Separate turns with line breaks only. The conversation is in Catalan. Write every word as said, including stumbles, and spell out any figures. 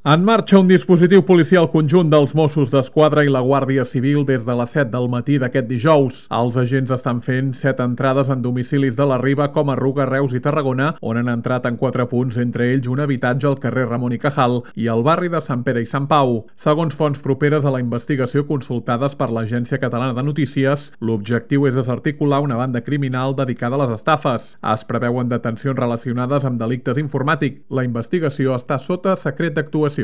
En marxa un dispositiu policial conjunt dels Mossos d'Esquadra i la Guàrdia Civil des de les set del matí d'aquest dijous. Els agents estan fent set entrades en domicilis de la Riba com a Ruga, Reus i Tarragona, on han entrat en quatre punts, entre ells un habitatge al carrer Ramon i Cajal i al barri de Sant Pere i Sant Pau. Segons fonts properes a la investigació consultades per l'Agència Catalana de Notícies, l'objectiu és desarticular una banda criminal dedicada a les estafes. Es preveuen detencions relacionades amb delictes informàtics. La investigació està sota secret d'actuació.